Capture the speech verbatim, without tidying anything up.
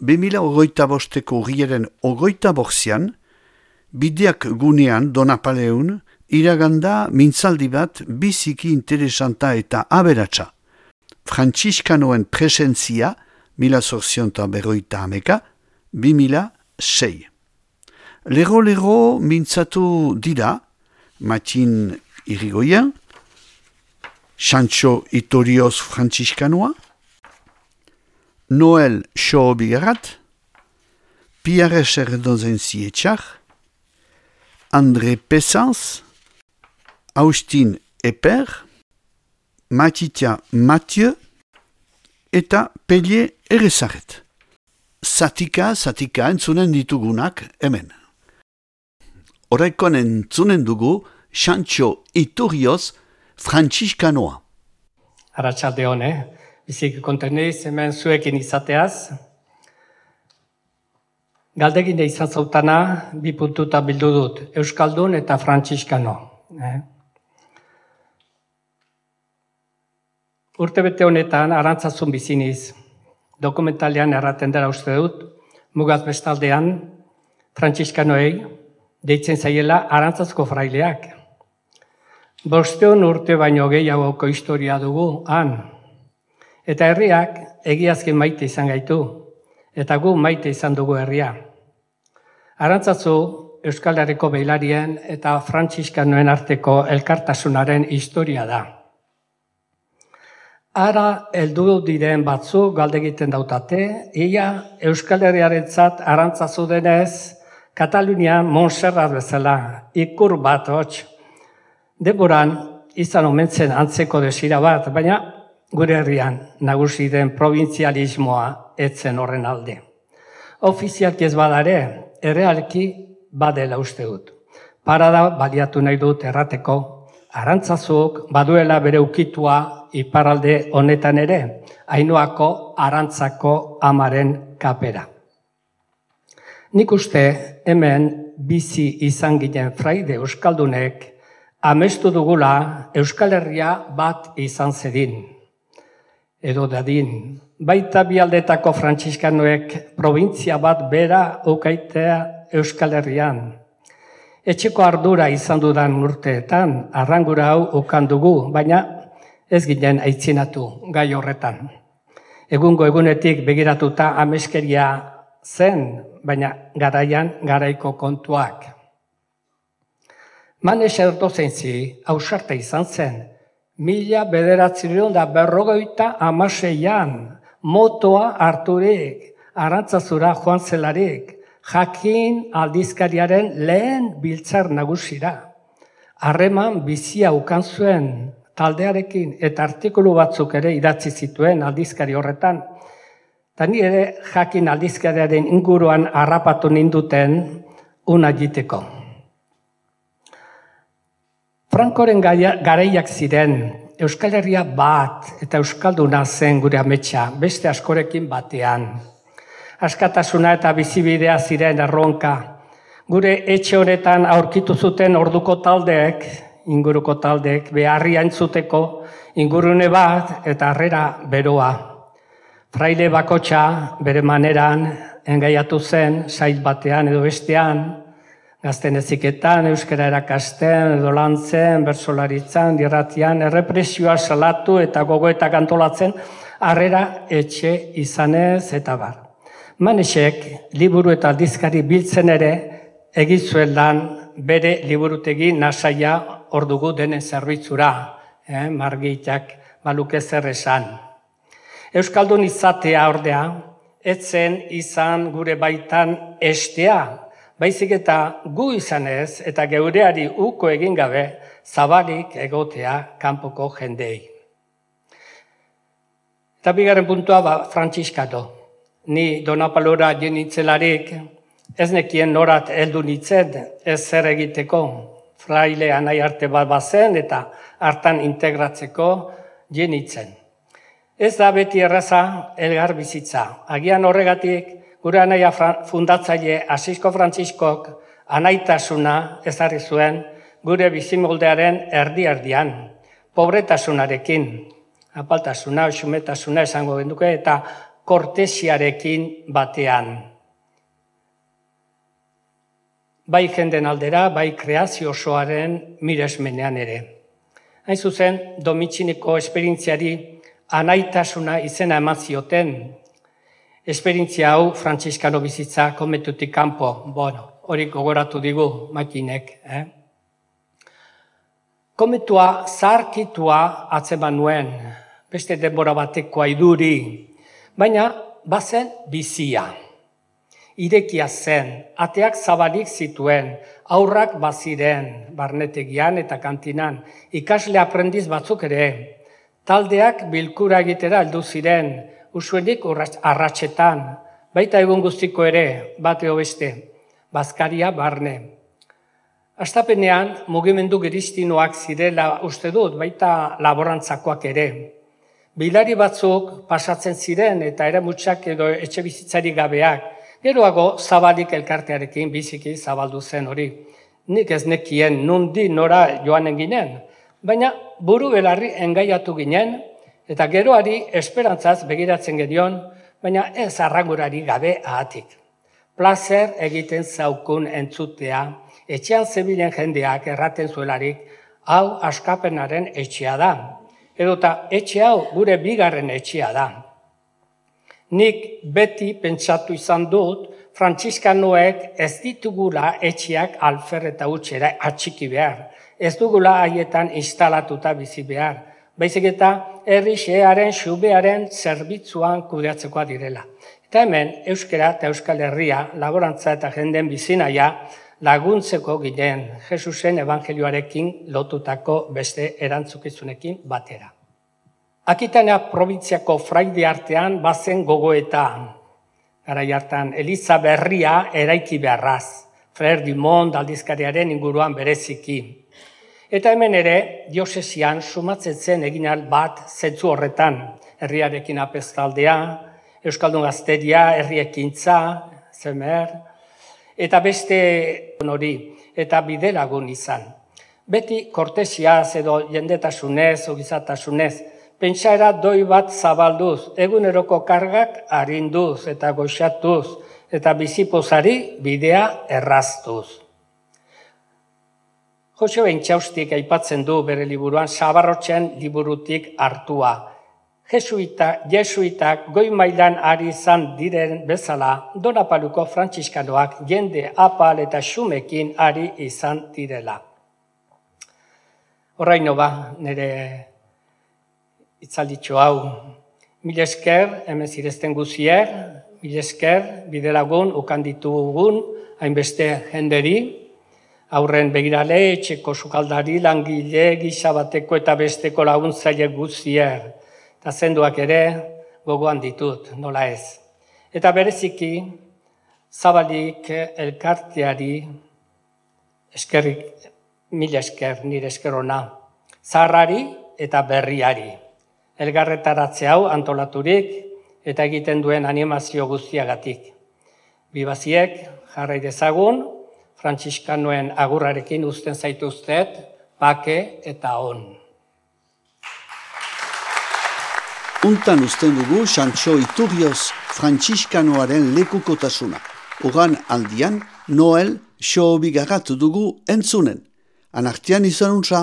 bi mila hogeita bosteko urriaren hogeita bortzian, bideak gunean Donapaleun, iraganda mintzaldi bat biziki interesanta eta aberatsa. Frantziskanoen presentzia, mila zortzionta berroita hameka, bi mila sei. Lero-lero mintzatu dira, Matin Irigoyen, Sancho Itorioz Frantziskanoa, Noel Xoobigarat, Pierre Serdozen Zietxar, André Pessans, Austin Eper, Matitia Mathieu eta Pellier Erezaret. Zatika, zatika entzunen ditugunak hemen. Horrekon entzunen dugu Sancho Iturrioz Frantziskanoa. Arratsalde on, eh? Bizik konteneiz hemen zuekin izateaz. Galdegin izan zautana, bi puntuta bildu dut, Euskaldun eta Frantziskano. Eh? Urtebete honetan, arantzazun biziniz, dokumentalean erraten dela uste dut, mugaz bestaldean, Frantziskanoei, deitzen zaiela arantzazko fraileak. Bosteun urte baino gehiagoko historia dugu, han. Eta herriak egiazki maite izan gaitu, eta gu maite izan dugu herria. Arantzazu Euskal Herriko behilarien eta Frantziskanoen arteko elkartasunaren historia da. Ara heldu diren batzu galde egiten dautate, ia Euskal Herriarentzat arantzazu denez, Katalunian Montserrat bezala, ikur bat hots. Denboran izan omentzen antzeko desira bat, baina gure herrian nagusi den probintzialismoa etzen horren alde. Ofizialki ez badare, errealki badela uste dut. Parada baliatu nahi dut errateko, arantzazuk baduela bere ukitua iparralde honetan ere, Ainhoako arantzako amaren kapera. Nik uste hemen bizi izan ginen fraide euskaldunek amestu dugula Euskal Herria bat izan zedin. Edo dadin, baita bialdetako Frantziskanoek probintzia bat bera ukaitea Euskal Herrian. Etxeko ardura izan dudan urteetan, arrangura hau ukan dugu, baina ez ginen aitzinatu gai horretan. Egungo egunetik begiratuta ameskeria zen, baina garaian garaiko kontuak. Manes Erdozentzi ausarta izan zen, mila bederatzireun da berrogeita amaseian, motoa harturik, arantzazura joan zelarik, jakin aldizkariaren lehen biltzar nagusira. Harreman bizia ukan zuen taldearekin eta artikulu batzuk ere idatzi zituen aldizkari horretan. Eta ni ere jakin aldizkariaren inguruan harrapatu ninduten una jiteko. Frankoren garaiak ziren, Euskal Herria bat eta Euskalduna zen gure ametsa, beste askorekin batean. Askatasuna eta bizibidea ziren erronka. Gure etxe honetan aurkitu zuten orduko taldeek, inguruko taldeek, beharria entzuteko ingurune bat eta harrera beroa. Fraile bakotxa bere maneran engaiatu zen, sail batean edo bestean, gazten eziketan, euskara erakasten, edo lantzen, bersolaritzan, dirratian, errepresioa salatu eta gogoetak antolatzen, harrera etxe izanez eta bar. Manesek, liburu eta aldizkari biltzen ere, egizuen lan bere liburutegi nasaia ordugu denen zerbitzura, eh, margitak baluke zer esan. Euskaldun izatea ordea, etzen izan gure baitan estea, baizik eta gu izanez eta geureari uko egin gabe zabalik egotea kanpoko jendei. Eta bigarren puntua ba, Frantziskano. Ni Donapalora jenitzelarik ez nekien norat heldu nitzen ez zer egiteko. Fraile anai arte bat bazen eta hartan integratzeko jenitzen. Ez da beti erraza elgar bizitza. Agian horregatik gure anaia fundatzaile Asisko Frantziskok anaitasuna ezarri zuen gure bizimoldearen erdi-erdian, pobretasunarekin, apaltasuna, xumetasuna esango genduke, eta kortesiarekin batean. Bai jenden aldera, bai kreazio osoaren miresmenean ere. Hain zuzen, Domitxineko esperientziari anaitasuna izena eman zioten. Esperientzia hau frantziskano bizitza kometutik kanpo, bueno, hori gogoratu digu makinek. Eh? Kometua zaharkitua atzeman nuen, beste denbora batekoa iduri, baina bazen bizia. Irekia zen, ateak zabalik zituen, aurrak baziren, barnetegian eta kantinan, ikasle aprendiz batzuk ere, taldeak bilkura egitera heldu ziren, usuenik arratsetan, baita egun guztiko ere, bateo beste, bazkaria barne. Astapenean, mugimendu geristinoak zirela uste dut, baita laborantzakoak ere. Bilari batzuk pasatzen ziren eta eramutsak edo etxe bizitzari gabeak, geroago zabalik elkartearekin biziki zabaldu zen hori. Nik ez nekien nundi nora joanen ginen, baina buru belarri engaiatu ginen, eta geroari esperantzaz begiratzen genion, baina ez arrangurari gabe ahatik. Plazer egiten zaukun entzutea, etxean zebilen jendeak erraten zuelarik, hau askapenaren etxea da, edota etxe hau gure bigarren etxea da. Nik beti pentsatu izan dut, frantziskanoek ez ditugula etxeak alfer eta utxera atxiki behar, ez dugula haietan instalatuta bizi behar, baizik eta herri xearen, xubearen zerbitzuan kudeatzekoa direla. Eta hemen, euskara eta euskal herria, laborantza eta jenden bizinaia laguntzeko ginen Jesusen evangelioarekin lotutako beste erantzukizunekin batera. Akitania probintziako fraide artean bazen gogoeta. Garai hartan, Eliza berria eraiki beharraz, Frère Dumont aldizkariaren inguruan bereziki. Eta hemen ere, diosesian sumatzen zen eginal bat zentzu horretan, herriarekin apestaldea, Euskaldun gazteria, herriekintza, zemer, eta beste hori, eta bidelagun izan. Beti kortesiaz edo jendetasunez, ogizatasunez, pentsaera doi bat zabalduz, eguneroko kargak arinduz eta goxatuz, eta bizipozari bidea erraztuz. Joseba Intxaustik aipatzen du bere liburuan Sabarrotzen liburutik hartua. Jesuita, jesuitak goi mailan ari izan diren bezala, Donapaluko frantziskanoak jende apal eta xumekin ari izan direla. Horraino ba, nire itzalditxo hau, mil esker, hemen zirezten guzier, mil esker, bidelagun, ukanditugun, hainbeste jenderi, aurren begirale, etxeko sukaldari, langile, gizabateko eta besteko laguntzaile guzier, eta zenduak ere gogoan ditut, nola ez. Eta bereziki, zabalik elkarteari, eskerrik, mil esker, nire eskerona, zaharrari eta berriari. Elgarretaratze hau antolaturik eta egiten duen animazio guztiagatik. Bibaziek, jarrai dezagun, frantziskanoen agurrarekin uzten zaituztet, bake eta on. Untan uzten dugu Xantxo Iturrioz frantziskanoaren lekukotasuna. Ogan aldian, Noel xo bigarrat dugu entzunen. Anartian izan untza.